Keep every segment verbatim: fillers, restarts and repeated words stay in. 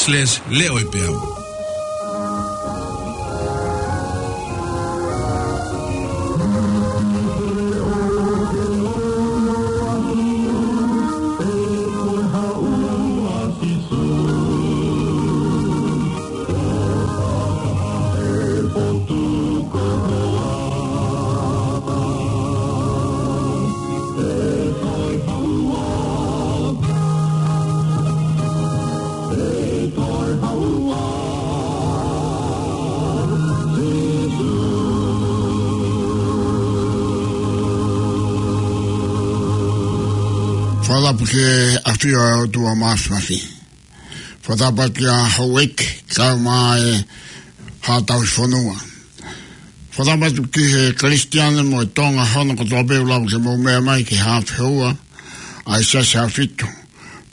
Slash Leʻo ʻi Peau. Fakatapu ki he ʻafio ʻa e ʻOtua Māfimafi. Fakatapu ki he houʻeiki, kae ʻumaʻā e haʻa tauhi fonua. Fakatapu ki he Kalisitiane mo e Tonga hono kotoa pē ʻoku lava ke mou meʻa mai ki he haʻa feua ʻa e Siasi Haʻafitu.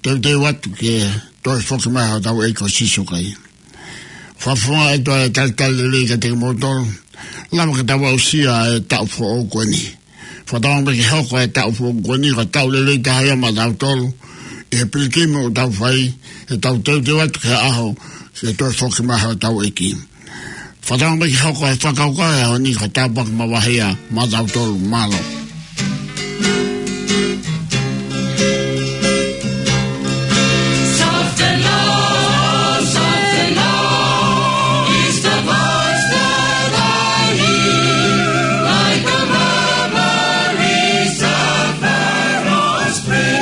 Teuteu atu ki he toe foki mai hotau ʻEiki ko Sīsū Kalaisi. Fakafofonga atu ʻa e talitali lelei kiate kimoutolu. Lava ke tau aʻusia e taʻu foʻou ko eni. Fakatauange pē ke hoko e taʻu foʻou ko eni ko e taʻu lelei taha ia maʻatautolu ʻi he pilikimi ʻoku tau fai, ʻi heʻetau teuteu atu ki he ʻaho ke toe foki mai hotau ʻEiki. Fakatauange pē ke hoko e fakakaukau he ʻaho ni ko e tāpuaki makehe ia maʻatautolu. Mālō. Soft and low, soft and low is the voice that I hear, like a murmuring of Pharaoh's prayer.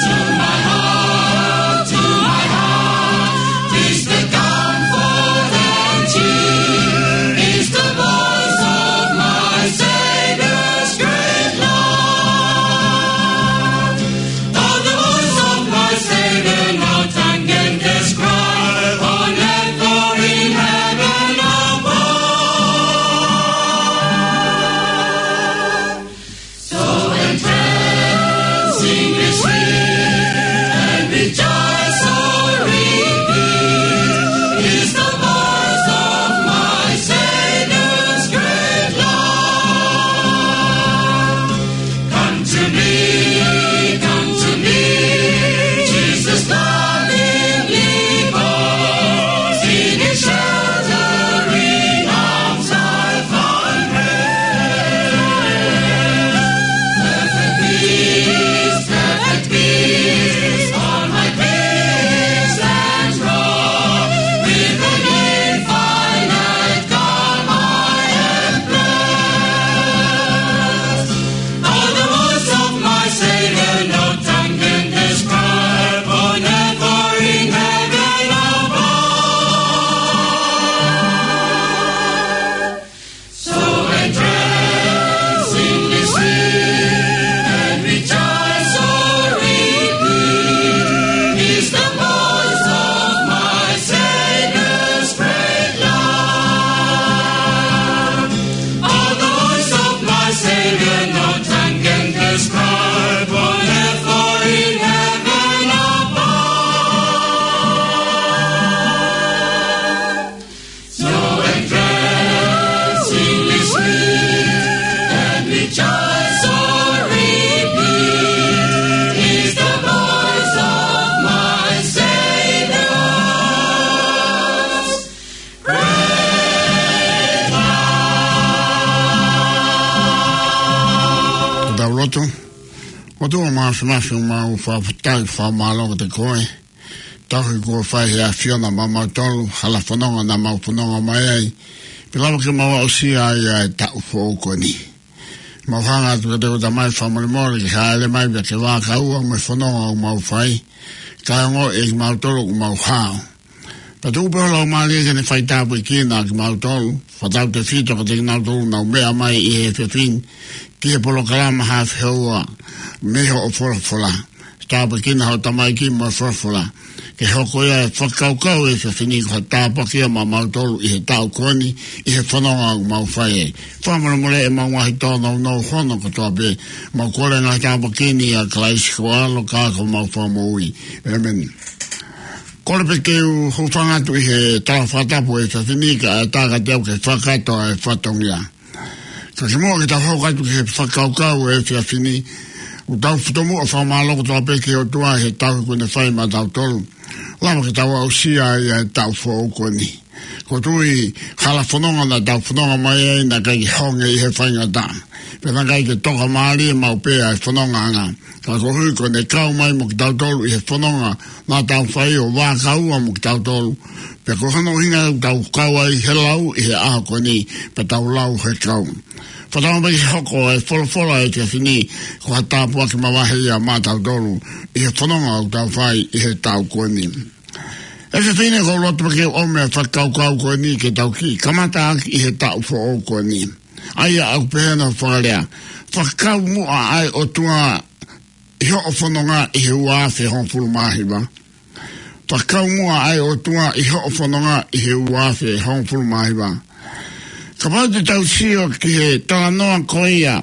To my heart, to my heart, is the comfort and cheer, is the voice of my Savior's great love. Oh, the voice of my Savior, no tongue can describe, oh, never in heaven above. So entrancingly sweet and rejoice, oh, repeat, is the voice of my Savior's great love. Come to me, come to me, Jesus lovingly calls, in his sheltering arms I find rest. Perfect peace, perfect peace, all my cares and woe, with an infinite calm I am blessed. Oh, the voice of my Savior, no tongue can describe, oh, never in heaven above. So entrancingly sweet and rejoice, oh, repeat, is the voice of my Savior's great love. Oh, the voice of my Savior, no tongue can describe, oh, never in heaven above. So entrancingly sweet and rejoice, oh, repeat, is the voice of my Savior's great love. Tau lotu. ʻOtua Māfimafi, ʻoku mau fakafetaʻi, fakamālō kiate koe. Tauhi kuo fai he ʻAfiona maʻamautolu, hala fononga naʻa mau fononga mai ai, pea lava ke mau aʻusia ai ʻa e taʻu foʻou ko eni. Mau hanga atu kiate koe Tamai, fakamolemole ke hāʻele mai pea ke vakai ʻa e fononga ʻoku mau fai, kae ongoʻi ʻe kimautolu ʻoku mau hao. Pea tuku pē ho Laumālie ke ne faitāpuekina kimautolu, fakatautefito kiate kinautolu ʻoku nau meʻa mai ʻi he efiafi ni ki he polokalama Haʻa Feua mei hoʻo folofola. Tāpuekina ho tamaiki mo e folofola, ke hoko ia e fakakaukau he efiafi ni ko ha tāpuaki ia maʻamautolu ʻi he taʻu ko eni, ʻi he fononga ʻoku mau fai ai. Fakamolemoleʻi ʻemau ngaahi tōnounou hono kotoa pē. Mau kole e ngaahi tāpuaki ni ʻia Kalaisi ko ho ʻAlo ka ko homau Fakamoʻui. ʻĒmeni. Kole pē ke u hūfanga atu ʻi he tala fakatapu he efiafi ni, kae ʻatā kiate au ke fakakakato ʻa e fatongia. Ka kimuʻa ke tau hoko atu ki he fakakaukau he efiafi ni, ʻOku tau fakamoʻoni ʻa e fakamālō kotoa pē ki he ʻOtua he tauhi kuo ne fai maʻatautolu. Lava ke tau aʻusia ai ʻa e taʻu foʻou ko eni. Ko e tui hala fononga naʻa tau fononga mai ai naʻe ʻikai ke honge ʻi he faingataʻa. Pea naʻe ʻikai ke toka mālie maʻu pē ʻa e fonongaʻanga. Ka koeʻuhi ko ʻene kau mai mo kitautolu ʻi he fononga naʻa tau fai ʻo vākaua mo kitautolu. Pea ko hono ʻuhinga ʻoku tau kau ai he lau ʻi he ʻaho ko eni, pea tau lau he kau. Fakatauange pē ke hoko e folofola ʻa e efiafi ni ko ha tāpuaki mavahe ia maʻatautolu ʻi he fononga ʻoku tau fai ʻi he taʻu ko eni. ʻE fefine, ʻoku ou loto pē ke ʻomi e fakakaukau ko eni ke tau kiʻi kamata ʻaki ʻi he taʻu foʻou ko eni. ʻA ia ʻoku pehē hono fakalea: Fakakau muʻa ʻa e ʻOtua ʻi hoʻo fononga ʻi he ua afe hongofulu mā hiva. Fakakau muʻa ʻa e ʻOtua ʻi hoʻo fononga ʻi he ua afe hongofulu mā hiva. Kapau te tau sio ki he talanoa ko ia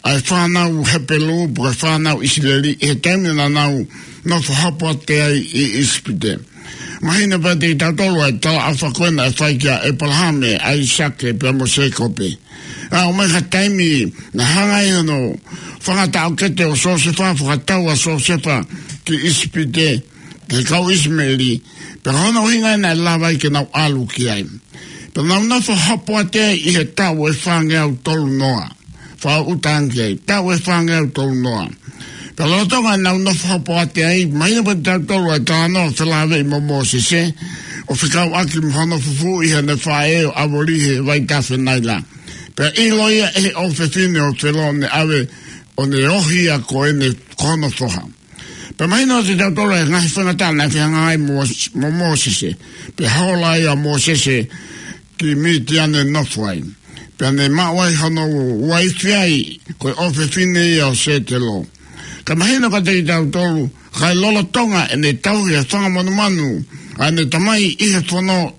ʻa e fānau Hepelū pe ko e fānau ʻIsileli ʻi he taimi naʻa nau nofo hopoate ai ʻi ʻIsipite. Mahino pē kiate kitautolu ʻa e talaʻofa ko ē naʻe fai kia ʻĒpalahame, ʻAisake pea mo Sēkope. ʻA, ʻomai ha taimi naʻe hanga ai hono fanga taʻokete ʻo Siosefa ʻo fakatau ʻa Siosefa ki ʻIsipite, ki he kau ʻIsimeli, pea ko hono ʻuhinga ia naʻe lava ai ke nau ʻalu ki ai. Pea nau nofo hopoate ai ʻi he taʻu ʻe fāngeau tolu noa. Fakaʻuta ange ki ai, taʻu ʻe fāngeau tolu noa. Pea lolotonga ʻenau nofo hopoate ai, mahino pē kiate kitautolu ʻa e talanoa felāveʻi mo Mōsese, ʻo fekauʻaki mo hono fufū ʻi heʻene faʻē ʻo ʻavori he vaitafe Naila. Pea ʻilo ia ʻe he ʻofefine ʻo Felo ʻo ne ʻave ʻo ne ohi ia ko ʻene, ko hono foha. Pea mahino kiate kitautolu ʻa e ngaahi faingataʻa naʻe fehangahangai mo, mo Mōsese. Pea hola ai ʻa Mōsese ki Mitiane ʻo nofo ai. Pea ne maʻu ai hono uaifi ai, ko e ʻofefine ia ʻo Sētelo. Ka mahino kiate kitautolu, kae lolotonga ʻene tauhi e fanga monumanu ʻa ʻene tamai ʻi he fono,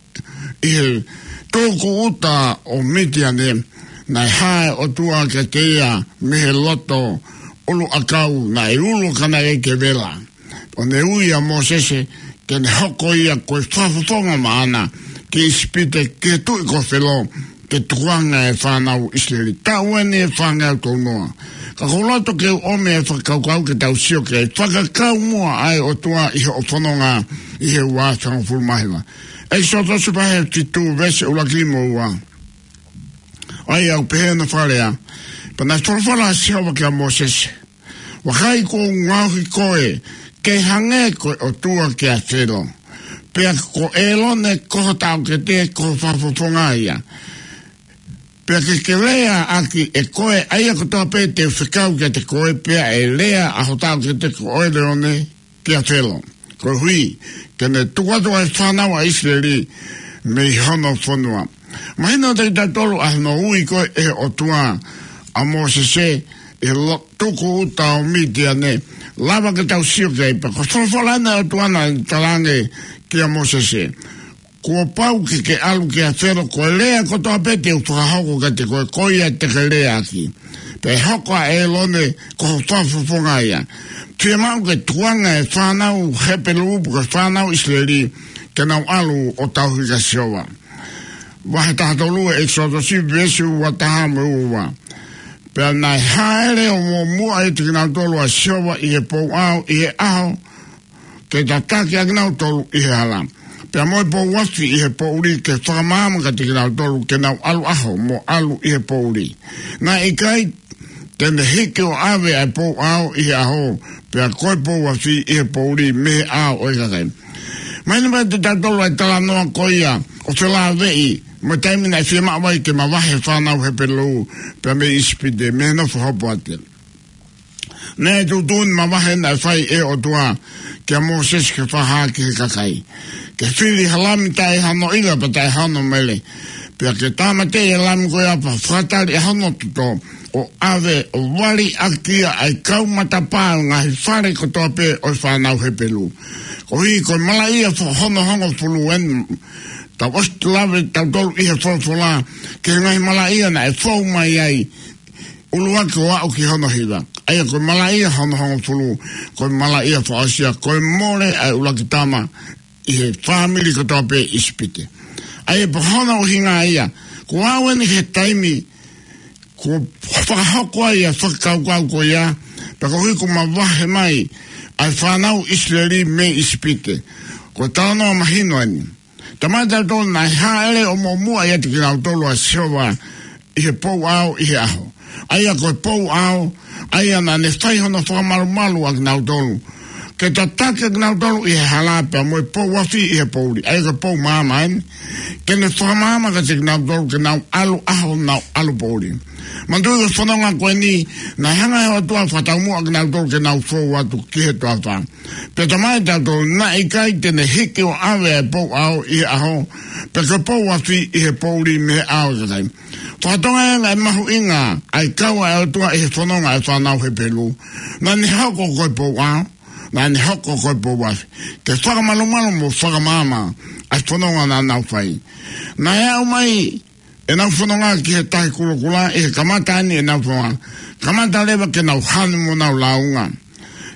ʻi he tūkuʻuta ʻo Mitiane, naʻe hā e ʻOtua kiate ia mei he loto ʻuluʻakau, naʻe ulu ka naʻe ʻikai ke vela. ʻO ne ui ʻa Mōsese ke ne hoko ia ko e fakafofonga maʻana ki ʻIsipite, ki he tuʻi ko Felo, ke tukuange e fānau ʻIsileli. Taʻu eni ʻe fāngeau tolu noa. Ka ʻoku ou loto ke u ʻomi e fakakaukau ke tau sio ki he fakakau muʻa ʻa e ʻOtua ʻi hoʻo fononga ʻi he ua afe hongofulu mā hiva. ʻEkisoto vahe fitu veesi ʻuluaki mo ua. ʻA ia ʻoku pehē hono fakalea: Pea naʻe folofola ʻa Sihova kia Mōsese: Vakai, kuo u ngaohi koe ke hangē ko e ʻOtua kia Felo, pea ko ʻĒlone ko ho taʻokete ko ho fakafofonga ia. Pea ke ke leaʻaki ʻe koe ʻa ia kotoa pē te u fekau kiate koe, pea ʻe lea ʻa ho taʻokete ko ʻĒlone kia Felo, koeʻuhi ke ne tuku atu ʻa e fānau ʻa ʻIsileli mei hono fonua. Mahino kiate kitautolu ʻa hono ui ko ē ʻe he ʻOtua ʻa Mōsese ʻi he lo-, tūkuʻuta ʻo Mitiane. Lava ke tau sio ki ai, pea ko e folofola ʻa e ʻOtua naʻe talaange kia Mōsese: Kuo pau ke ke ʻalu kia Felo, ko e lea kotoa pē te u fakahoko kiate koe, ko ia te ke leaʻaki. Pea ʻe hoko ʻa ʻĒlone ko ho fakafofonga ia. Fiemaʻu ke tukuange e fānau Hepelū pe ko e fānau ʻIsileli ke nau ʻalu ʻo tauhi kia Sihova. Vahe taha tolu ʻo ʻEkisoto veesi ua taha mo e ua ua. Pea naʻe hāʻele ʻo muʻomuʻa ʻiate kinautolu ʻa Sihova ʻi he pouʻao ʻi he ʻaho ke tataki ʻa kinautolu ʻi he hala, pea mo e pou afi ʻi he poʻuli ke fakamaama kiate kinautolu ke nau ʻalu ʻaho mo ʻalu ʻi he poʻuli. Naʻe ʻikai te ne hiki ʻo ʻave ʻa e pouʻao ʻi he ʻaho, pea ko e pou afi ʻi he poʻuli mei he ʻao ʻo e kakai. Mahino mai kiate kitautolu ʻa e talanoa ko ia ʻo felāveʻi mo e taimi naʻe fiemaʻu ai ke mavahe e fānau Hepelū pea mei ʻIsipite, mei he nofo hopoate. Naʻe tuʻutuʻuni mavahe naʻe fai ʻe he ʻOtua kia Mōsese ke fakahā ki he kakai. Ke fili ha lami taʻe hano ʻila pea taʻe hano mele. Pea ke tāmateʻi e lami ko ia pea fakatali ʻa hono toto, ʻo ʻave ʻo vali ʻaki ia ʻa e kau matapā ʻo e ngaahi fale kotoa pē ʻo e fānau Hepelū. Koeʻuhi ko e malaʻia fo-, hono hongofulu eni, tau ʻosi lave tautolu ʻi he folofola ki he ngaahi malaʻia naʻe fou mai ai, ʻuluaki ʻo aʻu ki hono hiva. ʻA ia ko e malaʻia hono hongofulu, ko e malaʻia fakaʻosi ia, ko e mole ʻa e ʻuluaki tama ʻi he fāmili kotoa pē ʻi ʻIsipite. ʻA ia pea ko hono ʻuhinga ia, kuo aʻu eni ki he taimi kuo fakahoko ai ʻa e fakakaukau ko ia, Pea koeʻuhi kuo mavahe mai ʻa e fānau ʻIsileli mei ʻIsipite. Ko e talanoa mahino eni. Talamai ʻe tautolu naʻe hāʻele ʻo muʻomuʻa ʻiate kinautolu ʻa Sihova ʻi he pou ʻao ʻi he ʻaho. ʻA ia ko e pou ʻao, ʻa ia naʻa ne fai hono fakamalumalu ʻa kinautolu. Ke tataki ʻa kinautolu ʻi he hala pea mo e pou afi ʻi he poʻuli. ʻA ia ko e pou maama eni. Ke ne fakamaama kiate kinautolu ke nau ʻalu ʻaho nau ʻalu poʻuli. Manatuʻi ko e fononga ko eni, naʻe hanga ʻe he ʻOtua ʻo fakataumuʻa kinautolu ke nau fou atu ki he toafa. Pea talamai ʻe tautolu naʻe ʻikai te ne hiki ʻo ʻave ʻa e pou ʻao ʻi he ʻaho, pe ko e pou afi ʻi he poʻuli mei he ʻao ʻo e kakai. Fakatokangaʻi ange e mahuʻinga ʻa e kau ʻa e ʻOtua ʻi he fononga ʻa e fānau Hepelū. Naʻa ne hoko ko e pou ʻao, naʻa ne hoko ko e pou afi. Ke fakamalumalu mo fakamaama ʻa e fononga naʻa nau fai. Naʻe aʻu mai ʻenau fononga ki he Tahi Kulokula, ʻi he kamata eni ʻenau fononga. Kamata leva ke nau hanu mo nau lāunga.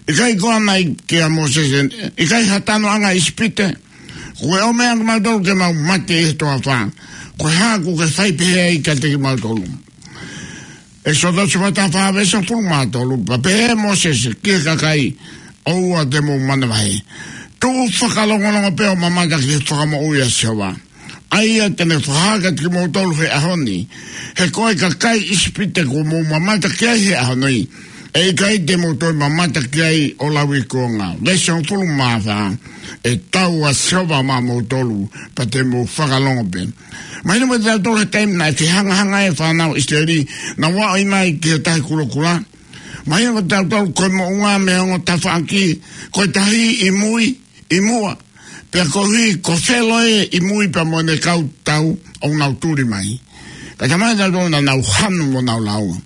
ʻIkai ko ia naʻe ʻeke ʻe Mōsese, ʻikai ha tanoʻanga ʻi ʻIsipite? Kuo ke ʻomai kimautolu ke mau mate ʻi he toafa. Ko e hā ʻoku ke fai pehē ai kiate kimautolu? ʻEkisoto vahe taha fā veesi hongofulu mā tolu, pea pehē ʻe Mōsese ki he kakai, ʻOua te mou manavahē. Tuʻu fakalongolongo pē ʻo mamata ki he fakamoʻui ʻa Sihova, ʻa ia te ne fakahā kiate kimoutolu he ʻaho ni. He ko e kakai ʻIsipite kuo mou mamata ki ai he ʻaho ni, ʻe ʻikai te mou toe mamata ki ai ʻo lauikuonga. Veesi hongofulu mā fā, ʻe tau ʻa Sihova maʻamoutolu, pea te mou fakalongo pē. Mahino kiate kitautolu he taimi naʻe fehangahangai ai e fānau ʻIsileli, nau aʻu mai ki he Tahi Kulokula. Mahino kiate kitautolu ko e moʻunga mei he ongo tafaʻaki, ko e tahi ʻi mui, ʻi muʻa. Pea koeʻuhi ko Felo ē ʻi mui pea mo ʻene kau tau ʻoku nau tuli mai. Ka talamai ʻe tautolu naʻa nau hanu mo nau lāunga.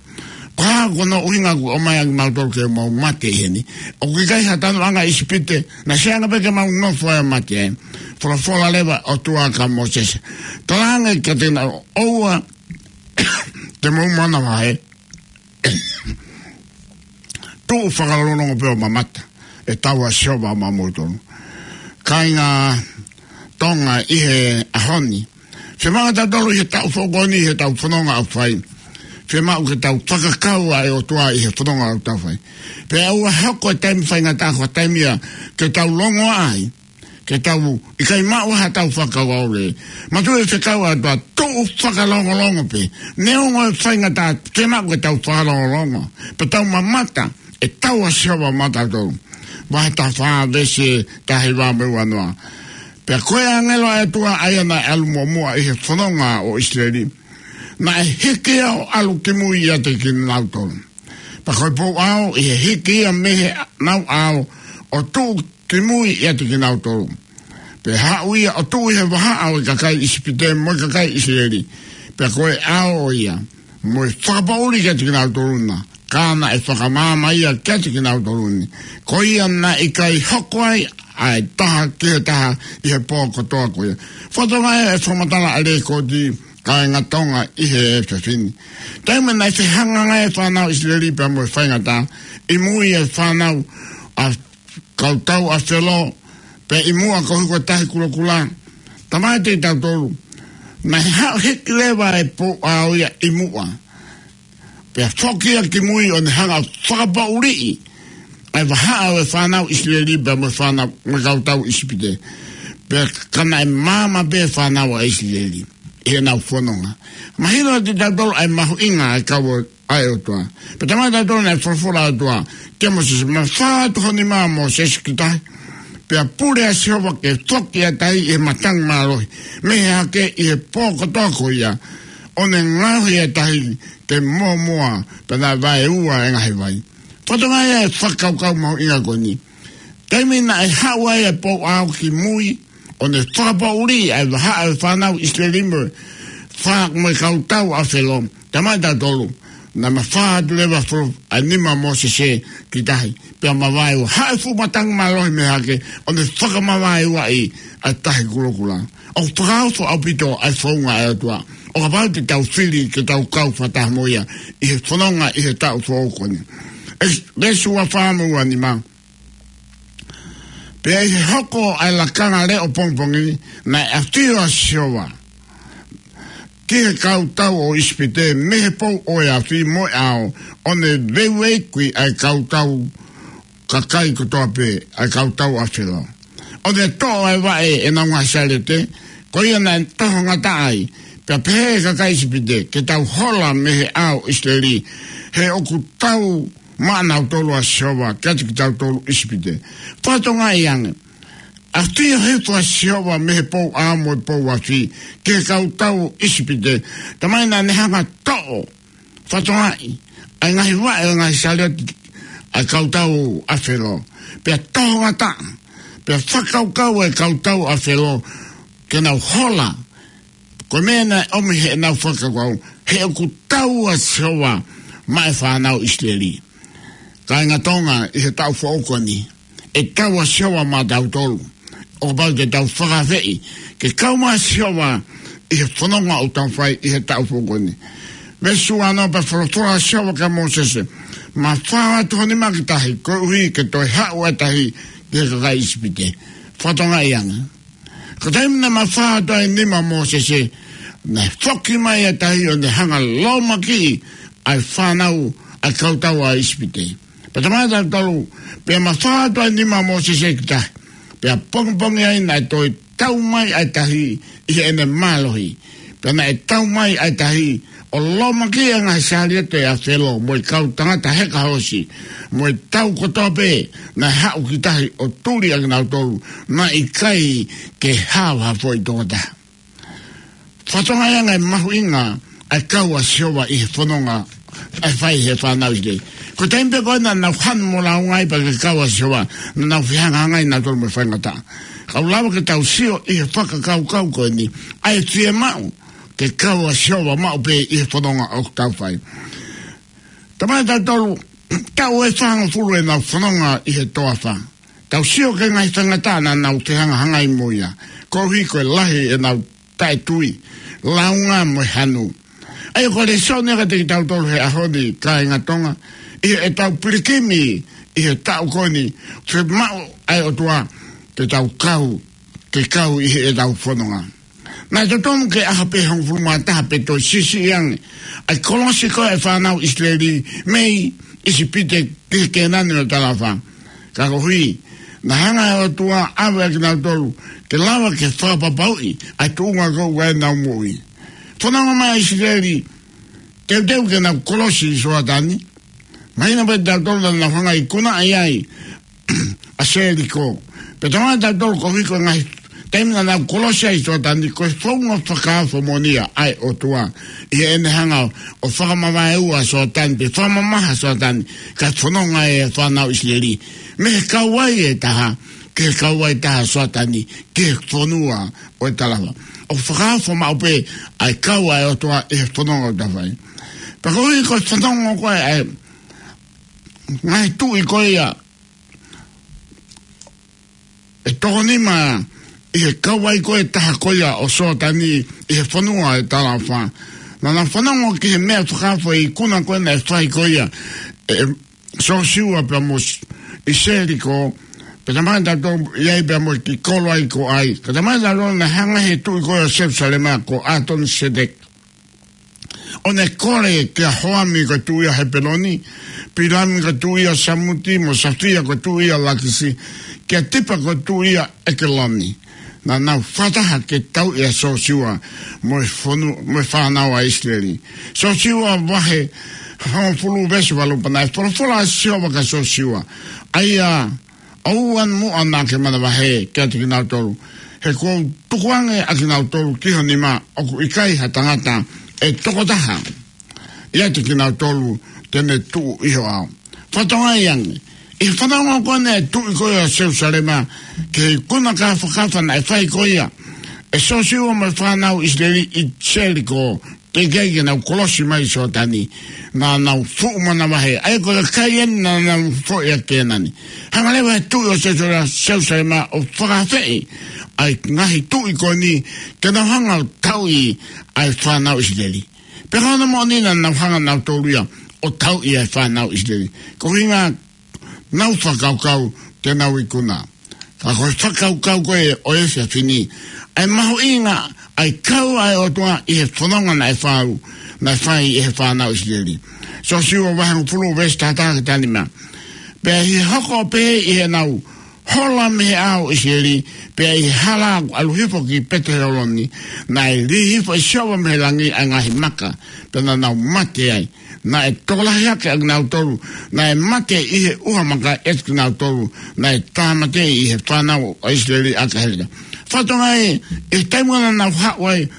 Ko e hā hono ʻuhinga ʻoku ʻomai ʻaki kimautolu ke mau mate ʻi heni? ʻOku ʻikai ha tanoʻanga ʻi ʻIsipite, naʻe sai ange pē ke mau nofo ai ʻo mate ai. Folofola leva ʻa e ʻOtua kia Mōsese. Talaange kiate kinautolu, ʻOua te mou manavahē. Tuʻu fakalongolongo pē ʻo mamata, ʻe tau ʻa Sihova maʻamoutolu. Kāinga Tonga ʻi he ʻaho ni, fiemaʻu ʻe tautolu ʻi he taʻu foʻou ko eni, ʻi heʻetau fononga ʻoku fai, fiemaʻu ke tau fakakau ʻa e ʻOtua ʻi he fononga ʻoku tau fai. Pea ʻoua ʻe hoko e taimi faingataʻa ko e taimi ia ke tau longoaʻa ai, ke tau ʻikai maʻu haʻatau fakakaukau lelei. Manatuʻi e fekau ʻa e ʻOtua, tuʻu fakalongolongo pē. Neongo e faingataʻa, fiemaʻu ke tau fakalongolongo pē, tau mamata, ʻe tau ʻa Sihova maʻatautolu. Vahe taha fā veesi taha hiva mo e ua noa. Pea ko e ʻāngelo ʻa e ʻOtua ʻa ia naʻe ʻalu muʻomuʻa ʻi he fononga ʻo ʻIsileli, naʻe hiki ia ʻo ʻalu ki mui ʻiate kinautolu. Pea ko e pou ʻao, ʻi he hiki ia mei heʻenau ʻao ʻo tuʻu ki mui ʻiate kinautolu, pea haʻu ia ʻo tuʻu ʻi he vahaʻa ʻo e kakai ʻIsipite mo e kakai ʻIsileli. Pea ko e ʻao ia mo e fakapoʻuli kiate kinautolu na, ka naʻe fakamaama ia kiate kinautolu ni. Ko ia naʻe ʻikai hoko ai ʻa e taha ki he taha ʻi he pō kotoa ko ia. Fakatokangaʻi e fakamatala ʻa e lekooti, kāinga Tonga ʻi he efiafi ni. Taimi naʻe fehangahangai ai e fānau ʻIsileli pea mo e faingataʻa, ʻi mui e fānau ʻa e kau tau ʻa Felo, pea ʻi muʻa koeʻuhi ko e Tahi Kulokula. Talamai ʻe tautolu, naʻe haʻu hiki leva e pou ʻao ia ʻi muʻa, pea foki ia ki mui ʻo ne hanga ʻo fakapoʻuliʻi ʻa e vahaʻa ʻo e fānau ʻIsileli pea mo e fānau mo e kau tau ʻIsipite. Pea ka naʻe maama pē e fānau ʻa ʻIsileli ʻi heʻenau fononga. Mahino kiate tautolu ʻa e mahuʻinga ʻa e kau ʻa e ʻOtua. Pea talamai ʻe tautolu naʻe folofola ʻa e ʻOtua kia Mōsese, mafā atu ho nima Mōsese ki tahi, pea pule ʻa Sihova ke foki ʻa e tahi ʻi he matangi mālohi mei hake ʻi he pō kotoa ko ia, ʻo ne ngaohi ʻa e tahi ke mōmoa, pea naʻe vaeua e ngaahi vai. Fakatokangaʻi e fakakaukau mahuʻinga ko eni. Taimi naʻe haʻu ai e pou ʻao ki mui ʻo ne fakapoʻuli ʻa e vahaʻa ʻo e fānau ʻIsileli mo e fā mo e kau tau ʻa Felo, talamai ʻe tautolu naʻe mafā atu leva fo ʻa e nima Mōsese ki tahi, pea mavaeua, haʻu e fuʻu matangi mālohi mei hake ʻo ne fakamavaeuaʻi ʻa e Tahi Kulokula. ʻOku fakaofo ʻaupito ʻa e founga ʻa e ʻOtua ʻo kapau te tau fili ke tau kau fakataha mo ia ʻi he fononga ʻi he taʻu foʻou ko eni. ʻEki-, veesi ua fā mo e ua nima. Pea ʻi he hoko ʻa e lakanga leʻo pongipongi, naʻe ʻafio ʻa Sihova ki he kautau ʻo ʻIsipite mei he pou ʻo e afi mo e ʻao, ʻo ne veiveiuʻi ʻa e kautau kakai kotoa pē, ʻa e kautau ʻa Felo. ʻO ne toʻo ʻa e vaʻe ʻenau ngaahi saliote, ko ia naʻe toho ngata ai, pea pehē ʻe he kakai ʻIsipite, ke tau hola mei he ʻao ʻo ʻIsileli, he ʻoku tau maʻanautolu ʻa Sihova, kiate kitautolu ʻIsipite. Fakatokangaʻi ange, ʻa e ʻafio hifo ʻa Sihova mei he pou ʻao mo e pou afi, ki he kautau ʻIsipite, taimi naʻa ne hanga toʻo, fakatokangaʻi, ʻa e ngaahi vaʻe ʻo e ngaahi saliote ʻa e kautau ʻa Felo. Pea toho ngata, pea fakakaukau ʻa e kautau ʻa Felo, ke nau hola, ko e meʻa naʻe ʻomi heʻenau fakakaukau, he ʻoku tau ʻa Sihova maʻa e fānau ʻIsileli. Kāinga Tonga, ʻi he taʻu foʻou ko eni, ʻe tau ʻa Sihova maʻatautolu. ʻO kapau te tau fakaafeʻi ke kau mai ʻa Sihova ʻi he fononga ʻoku tau fai ʻi he taʻu foʻou ko eni. Veesi uanoa, pea folofola ʻa Sihova kia Mōsese, mafao atu ho nima ki tahi, koeʻuhi ke toe haʻu ʻa e tahi ki he kakai ʻIsipite. Fakatokangaʻi ange. Ko e taimi naʻe mafao atu ai e nima ʻo Mōsese, naʻe foki mai ʻa e tahi ʻo ne hanga ʻo lōmakiʻi ʻa e fānau ʻa e kautau ʻa ʻIsipite. Pea talamai ʻe tautolu, pea mafao atu ai e nima ʻo Mōsese ki tahi. Pea pongipongi ai naʻe toe tau mai ʻa e tahi ʻi heʻene mālohi. Pea naʻe tau mai ʻa e tahi ʻo lōmakiʻi ʻa e ngaahi saliote ʻa Felo, mo e kau tangata heka hoosi, mo e tau kotoa pē naʻe haʻu ki tahi ʻo tuli ʻa kinautolu, naʻe ʻikai ke hao ha foʻi tokotaha. Fakatokangaʻi ange e mahuʻinga ʻa e kau ʻa Sihova ʻi he fononga ʻe fai ʻe he fānau ʻIsileli. Ko e taimi pē ko ē naʻa nau hanu mo lāunga ai pea ke kau ʻa Sihova, naʻa nau fehangahangai nautolu mo e faingataʻa. Ka ʻoku lava ke tau sio ʻi he fakakaukau ko eni, ʻa e fiemaʻu ke kau ʻa Sihova maʻu pē ʻi he fononga ʻoku tau fai. Talamai ʻe tautolu, taʻu ʻe fāngofulu ʻenau fononga ʻi he toafa. Tau sio ki he ngaahi faingataʻa naʻa nau fehangahangai mo ia, koeʻuhi ko e lahi ʻenau taʻetui, lāunga mo e hanu. ʻA ia ko e lēsoni ia kiate kitautolu he ʻaho ni, kāinga Tonga, ʻi heʻetau pilikimi ʻi he taʻu ko eni, fiemaʻu ʻa e ʻOtua ke tau kau, ke kau ʻi heʻetau fononga. Naʻe totonu ke ʻaho pē hongofulu mā taha pea toe siʻisiʻi ange ʻa e kolosi ko ē ʻa e fānau ʻIsileli mei ʻIsipite ki he Kēnani ʻo e talaʻofa. Ka koeʻuhi, naʻe hanga ʻe he ʻOtua ʻo ʻave ʻa kinautolu ke lava ke fakapapauʻi ʻa e tuʻunga ko ē ʻoku nau moʻui. Fononga mai ʻa ʻIsileli, teuteu ke nau kolosi ʻi Soatani. Mahino pē ʻe tautolu naʻa nau hanga ʻo ikunaʻi ai ʻa Seliko. Pea talamai ʻe tautolu koeʻuhi ko e ngaahi taimi naʻa nau kolosi ai ʻi Soatani, ko e founga fakaofo moʻoni ia ʻa e ʻOtua ʻi heʻene hanga ʻo fakamavaeua ʻa Soatani, pe fakamamaha ʻa Soatani, kae fononga ai ʻa e fānau ʻIsileli mei he kauvai ʻe taha ki he kauvai ʻe taha ʻo Soatani, ki he fonua ʻo e talaʻofa. ʻOku fakaofo maʻu pē ʻa e kau ʻa e ʻOtua ʻi he fononga ʻoku tau fai. Pea koeʻuhi ko e fononga ko ē ʻa e ngaahi tuʻi ko ia ʻe toko nima ʻi he kauvai ko ē ʻe taha ko ia ʻo Soatani ʻi he fonua ʻo e talaʻofa. Naʻa nau fanongo ki he meʻa fakaofo ʻi he ikuna ko ē naʻe fai ko ia ʻe Sosiua pea mo s-, ʻi Seliko, pea talamai ʻe tautolu ʻi ai pea mo e kiʻi kolo ʻa e kolo ʻa e. Ka talamai ʻe tautolu naʻe hanga ʻe he tuʻi ko ē ʻo Selusalema ko ʻAtoniseteki ʻo ne kole kia Hoami ko e tuʻi ʻa Hepeloni, Pilami ko e tuʻi ʻa Samuti, mo Safia ko e tuʻi ʻa Lakisi, kia Tipa ko e tuʻi ʻa ʻEkeloni. Naʻa nau fakataha ke tauʻi ʻa Sosiua mo e fonu-, mo e fānau ʻa ʻIsileli. Sosiua vahe hongofulu veesi valu, pea naʻe folofola ʻa Sihova kia Sosiua, ʻa ia ʻoua muʻa naʻa ke manavahē kiate kinautolu, he kuo u tukuange ʻa kinautolu ki ho nima, ʻoku ʻikai ha tangata ʻe toko taha ʻiate kinautolu te ne tuʻu ʻi ho ʻao. Fakatokangaʻi ange, ʻi he fanongo ko ē ʻa e tuʻi ko ia ʻo Selusalema ki he ikuna kāfakafa naʻe fai ko ia ʻe Sosiua mo e fānau ʻIsileli ʻi Seliko, teʻeki ai ke nau kolosi mai ʻi Soatani, naʻa nau fuʻu manavahē, ʻa ia ko e kakai eni naʻa nau foʻi ʻa Kēnani. Hanga leva ʻe he tuʻi ʻo Selusa-, Selusalema ʻo fakaafeʻi ʻa e ngaahi tuʻi ko eni ke nau hanga ʻo tauʻi ʻa e fānau ʻIsileli. Pea ko hono moʻoni naʻa nau hanga nautolu ia ʻo tauʻi ʻa e fānau ʻIsileli. Ko e ʻuhinga naʻa nau fakakaukau te nau ikuna. Ka ko e fakakaukau ko ē ʻo e efiafi ni, ʻa e mahuʻinga ʻa e kau ʻa e ʻOtua ʻi he fononga naʻe fai, naʻe fai ʻe he fānau ʻIsileli. Siosiua vahe hongofulu veesi taha taha ki he taha nima. Pea ʻi he hoko ʻo pehē ʻi heʻenau hola mei he ʻao ʻo ʻIsileli, pea ʻi he hala ʻo ʻalu hifo ki Pete-holoni, naʻe lī hifo ʻe Sihova mei he langi ʻa e ngaahi maka, pea naʻa nau mate ai. Naʻe tokolahi hake ʻa kinautolu naʻe mate ʻi he ʻuha maka ʻiate kinautolu naʻe tāmateʻi ʻe he fānau ʻa ʻIsileli ʻaki ʻa Heleta. Fatongia ē, ʻi he taimi naʻa nau haʻu ai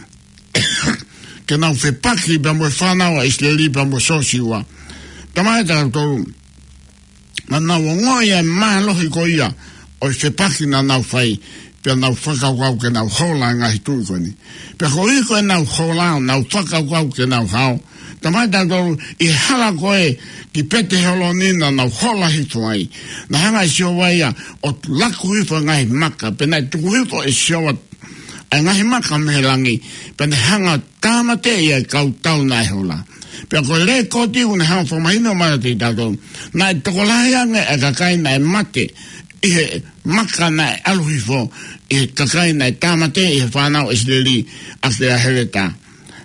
ke nau fepaki pea mo e fānau ʻa ʻIsileli pea mo Siosiua. Talamai ʻe tautolu, naʻa nau ongoʻi ʻa e mālohi ko ia ʻo e fepaki naʻa nau fai, pea nau fakakaukau ke nau hola ʻa e ngaahi tuʻi ko eni. Pea koeʻuhi ko ʻenau hola, nau fakakaukau ke nau hao. Talamai ʻe tautolu, ʻi he hala ko ē ki Pete-holoni naʻa nau hola hifo ai, naʻe hanga ʻe Sihova ia ʻo laku hifo ʻa e ngaahi maka, pea naʻe tuku hifo ʻe Sihova ʻa e ngaahi maka mei he langi, pea ne hanga ʻo tāmateʻi ʻa e kau tau naʻe hola. Pea ko e lēkooti ʻoku ne hanga ʻo fakamahino mai kiate kitautolu, naʻe tokolahi ange ʻa e kakai naʻe mate ʻi he maka naʻe ʻalu hifo, ʻi he kakai naʻe tāmateʻi ʻe he fānau ʻIsileli ʻaki ʻa Heleta.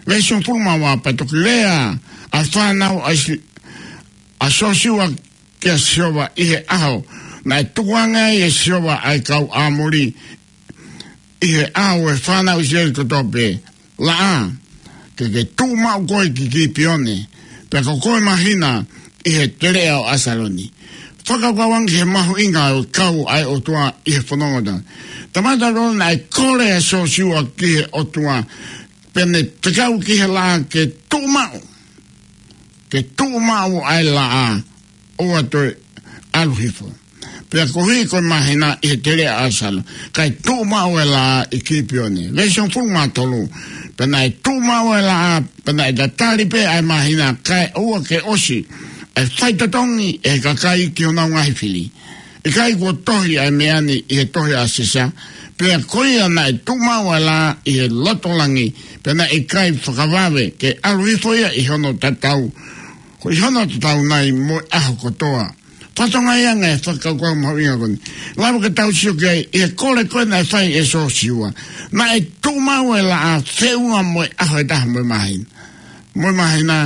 Veesi hongofulu mā ua, pea toki lea ʻa e fānau ʻa ʻIsi-, ʻa Siosiua kia Sihova ʻi he ʻaho naʻe tukuange ai ʻe Sihova ʻa e kau ʻĀmoli ʻi he ʻao ʻo e fānau ʻIsileli kotoa pē, laʻā, ke ke tuʻu maʻu koe ki Kipione, pea ko koe māhina ʻi he teleʻa ʻo ʻAsaloni. Fakakaukau ange ki he mahuʻinga ʻo e kau ʻa e ʻOtua ʻi he fononga ʻo e tangata. Talamai ʻe tautolu naʻe kole ʻa Siosiua ki he ʻOtua, pea ne fekau ki he laʻā ke tuʻu maʻu, ke tuʻu maʻu ʻa e laʻā, ʻoua toe ʻalu hifo. Pea koeʻuhi ko e māhina ʻi he teleʻa ʻo ʻAsaloni, kae tuʻu maʻu ʻa e laʻā ʻi Kipione. Veesi hongofulu mā tolu, pea naʻe tuʻu maʻu ʻa e laʻā, pea naʻe tatali pē ʻa e māhina, kae ʻoua ke ʻosi ʻa e faitotongi ʻe he kakai ki honau ngaahi fili. ʻIkai kuo tohi ʻa e meʻa ni ʻi he tohi ʻa Sisa? Pea ko ia naʻe tuʻu maʻu ʻa e laʻā ʻi he loto langi, pea naʻe ʻikai fakavave ke ʻalu hifo ia ʻi hono tatau, ko ʻi hono tatau nai mo e ʻaho kotoa. Fatongia ange ʻa e fakakaukau mahuʻinga ko eni. Lava ke tau sio ki ai, ʻi he kole ko ē naʻe fai ʻe Siosiua, naʻe tuʻu maʻu ʻa e laʻā feʻunga mo e ʻaho ʻe taha mo e māhina. Mo e māhina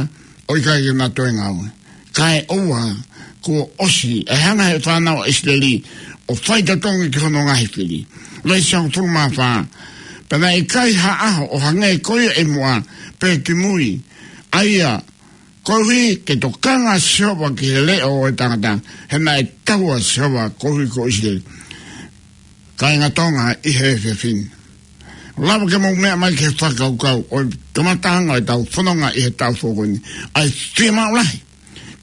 ʻoku ʻikai ke na toe ngāue. Kae ʻoua kuo ʻosi ʻa e hanga ʻe he fānau ʻa ʻIsileli ʻo faitotongi ki honau ngaahi fili. Veesi hongofulu mā fā. Pea naʻe ʻikai ha ʻaho ʻo hangē ko ia ʻi muʻa pe ki mui, ʻa ia koeʻuhi ke tokanga ʻa Sihova ki he leʻo ʻo e tangata, he naʻe tauʻa ʻa Sihova koeʻuhi ko ʻIsileli. Kāinga Tonga ʻi he efiafi ni, lava ke mou meʻa mai ki he fakakaukau ʻo e kamataʻanga ʻo ʻetau fononga ʻi he taʻu foʻou ko eni, ʻa e fiemaʻu lahi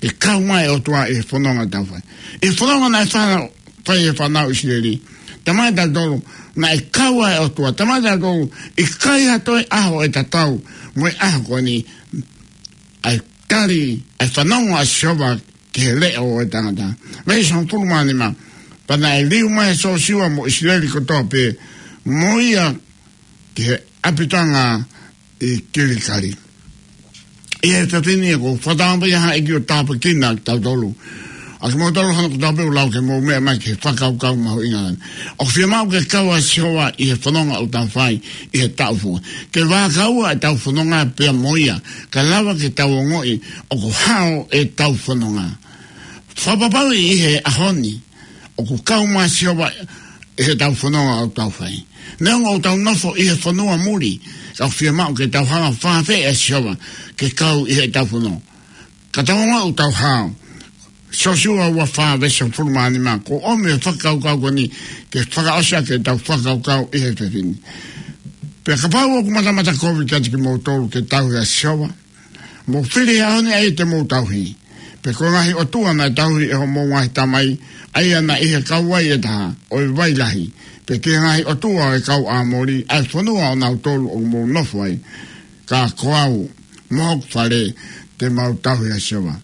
ke kau mai ʻa e ʻOtua ʻi he fononga ʻoku tau fai. ʻI he fononga naʻe fana-, fai ʻe he fānau ʻIsileli, talamai ʻe tautolu naʻe kau ai ʻa e ʻOtua. Talamai ʻe tautolu ʻikai ha toe ʻaho ʻe tatau mo e ʻaho ko eni, ʻa e tali, ʻa e fanongo ʻa Sihova ki he leʻo ʻo e tangata. Veesi hongofulu mā nima. Pea naʻe liu mai ʻa Siosiua mo ʻIsileli kotoa pē mo ia ki he ʻapitanga ʻi Kilikali. ʻI he efiafi ni ʻoku ou fakatauange pē ʻe ʻi ai ha ʻEiki ʻo tāpuekina kitautolu. ʻA kimoutolu hono kotoa pē, ʻoku lava ke mou meʻa mai ki he fakakaukau mahuʻinga ni. ʻOku fiemaʻu ke kau ʻa Sihova ʻi he fononga ʻoku tau fai ʻi he taʻu foʻou. Ke vakai ʻa ʻetau fononga pea mo ia, kae lava ke tau ongoʻi ʻoku hao ʻetau fononga. Fakapapauʻi ʻi he ʻaho ni ʻoku kau mai ʻa Sihova ʻi heʻetau fononga ʻoku tau fai. Neongo ʻoku tau nofo ʻi he fonua muli, ka ʻoku fiemaʻu ke tau hanga ʻo fakaafeʻi ʻa Sihova ke kau ʻi heʻetau fononga. Ka tau ongoʻi ʻoku tau hao. Siosiua ua fā veesi hongofulu mā nima, ʻoku ʻomi e fakakaukau ko eni ke fakaʻosi ʻaki ʻetau fakakaukau ʻi he efiafi ni. Pea kapau ʻoku matamata kovi kiate kimoutolu ke tauhi ʻa Sihova, mou fili he ʻaho ni ʻa ia te mou tauhi, pe ko e ngaahi ʻotua naʻe tauhi ʻe hoʻomou ngaahi tamai, ʻa ia naʻe ʻi he kauvai ʻe taha ʻo e vai lahi, pe ki he ngaahi ʻotua ʻo e kau ʻĀmoli, ʻa e fonua ʻo nautolu ʻoku mou nofo ai. Ka ko au mo hoku fale te mau tauhi ʻa Sihova.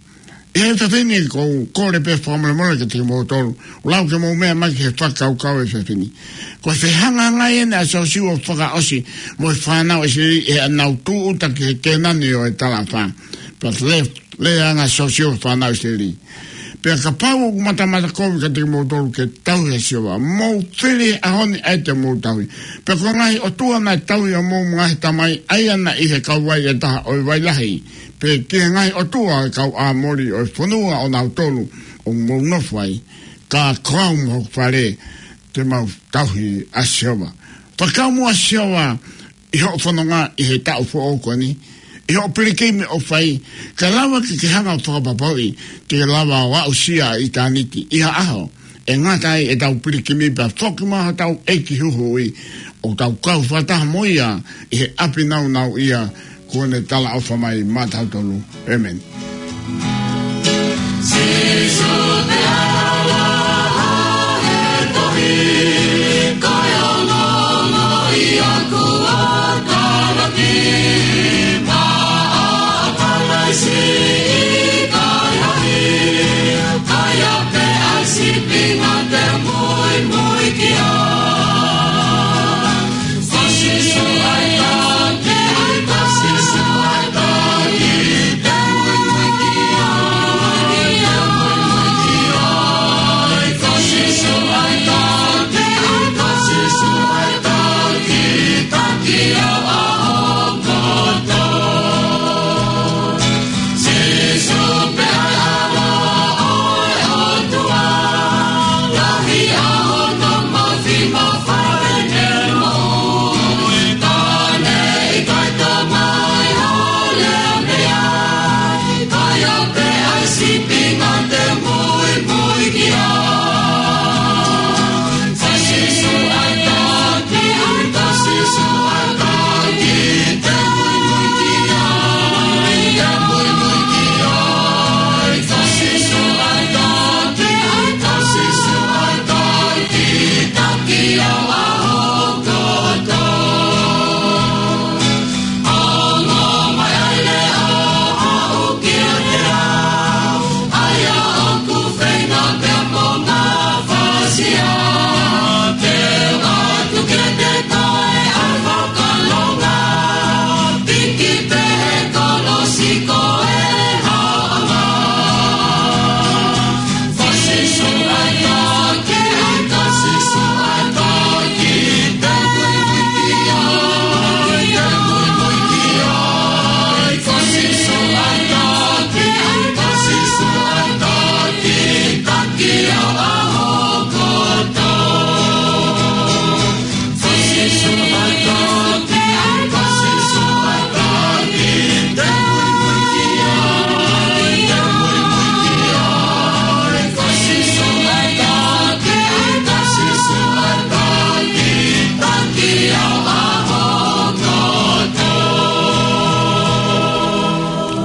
ʻI he efiafi ni ʻoku ou kole pē fakamolemole kiate kimoutolu, ʻoku lava ke mou meʻa mai ki he fakakaukau ʻo e efiafi ni. Ko e fehangahangai eni ʻa Siosiua ʻo fakaʻosi mo e fānau ʻIsileli ʻi heʻenau tūʻuta ki he Kēnani ʻo e talaʻofa. Pea lea, lea ange ʻa Siosiua ki he fānau ʻIsileli. Pea kapau ʻoku matamata kovi kiate kimoutolu ke tauhi ʻa Sihova, mou fili he ʻaho ni ʻa e te mou tauhi. Pea ko e ngaahi ʻotua naʻe tauhi ʻa homou ngaahi tamai, ʻa ia naʻe ʻi he kauvai ʻe taha ʻo e vai lahi, pe ki he ngaahi ʻotua ʻo e kau ʻĀmoli ʻo e fonua ʻonautolu ʻoku mou nofo ai. Ka ko au mo hoku fale, te mau tauhi ʻa Sihova. Fakakau muʻa ʻa Sihova ʻi hoʻo fononga ʻi he taʻu foʻou ko eni, ʻi hoʻo pilikimi ʻoku fai, kae lava ke ke hanga ʻo fakapapauʻi te ke lava ʻo aʻusia ʻa ʻitāniti ʻi ha ʻaho ʻe ngata ai ʻetau pilikimi pea foki mai hotau ʻEiki Huhuʻi, ʻo tau kau fakataha mo ia ʻi he ʻapi nāunauʻia kuo ne talaʻofa mai maʻatautolu. ʻĒmeni.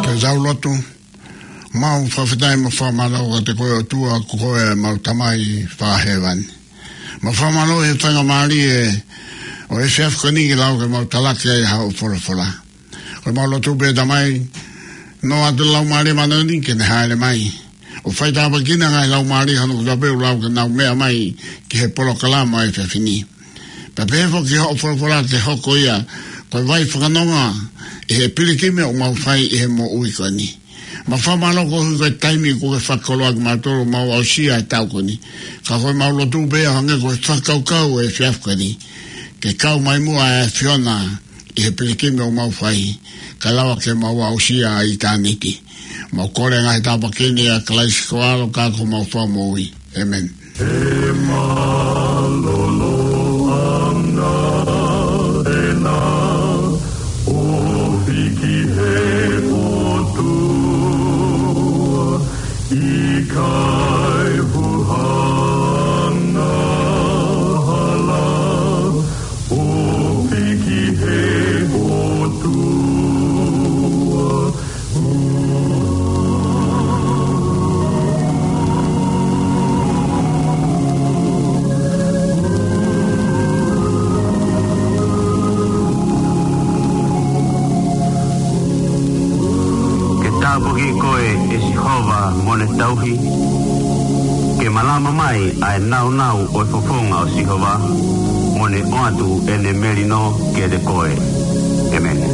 Ke tau lotu. Mau fakafetaʻi mo fakamālō kiate koe ʻOtua, ko koe ʻemau Tamai fakahēvani. Mau fakamālō he faingamālie ʻo e efiafi ko eni ke lau ke mau talaki ai haʻo folofola. Ko ʻemau lotu pē Tamai, noa atu Laumālie Māʻoniʻoni ke ne hāʻele mai ʻo faitāpuekina e ngaahi laumālie hono kotoa pē ʻoku lau ke nau meʻa mai ki he polokalama ʻo e efiafi ni. Pea pehē foki ki hoʻo folofola ke hoko ia ko e vai fakanonga ʻi he pilikimi ʻoku mau fai ʻi he moʻui ko eni. Mau fakamālō koeʻuhi ko e taimi kuo ke fakakoloa kimautolu ʻo mau aʻusia e taʻu ko eni. Ka ko ʻemau lotu pē ʻo hangē ko e fakakaukau ʻo e efiafi ko eni, ke kau mai muʻa e ʻAfiona ʻi he pilikimi ʻoku mau fai, kae lava ke mau aʻusia ʻa ʻitāniti. Mau kole e ngaahi tāpuaki ni ʻia Kalaisi ko ho ʻAlo ka ko homau Fakamoʻui. ʻĒmeni. He mālōlō ʻana ʻena ʻo hiki he ʻOtua, ʻikai huhana hala ʻo hiki he ʻOtua. Ke tāpuakiʻi koe ʻe Sihova mo ne tauhi, ke malama mai ʻa e nāunau ʻo e fofonga ʻo Sihova, mo ne ʻoatu ʻene melino kiate koe. ʻĒmeni.